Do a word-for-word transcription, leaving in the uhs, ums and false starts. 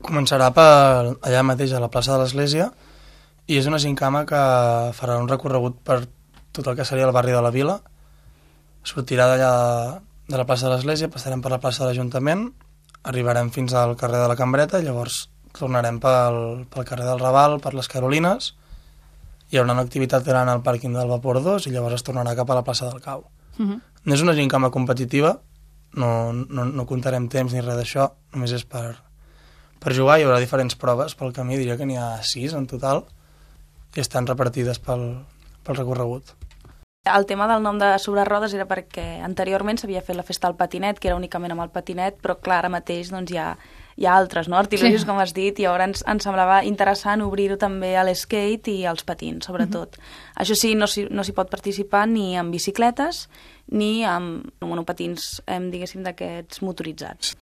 Començarà per allà mateix a la plaça de l'Església i és una gincama que farà un recorregut per tot el que seria el barri de la Vila. Sortirà d'allà de la plaça de l'Església, passarem per la plaça de l'Ajuntament, arribarem fins al carrer de la Cambreta i llavors tornarem pel, pel carrer del Raval, per les Carolines. Hi haurà una activitat gran al pàrquing del Vapor dos i llavors es tornarà cap a la plaça del Cau. Uh-huh. No és una gincama competitiva, no, no, no comptarem temps ni res d'això, només és per... Per jugar hi haurà diferents proves pel camí, diria que n'hi ha sis en total, i estan repartides pel, pel recorregut. El tema del nom de Sobre Rodes era perquè anteriorment s'havia fet la festa del patinet, que era únicament amb el patinet, però clar, ara mateix doncs, hi, ha, hi ha altres, no? Artilugios, sí, com has dit, i llavors ens, ens semblava interessant obrir-ho també a l'skate i als patins, sobretot. Uh-huh. Això sí, no s'hi no s'hi pot participar ni amb bicicletes ni amb monopatins, diguéssim, d'aquests motoritzats.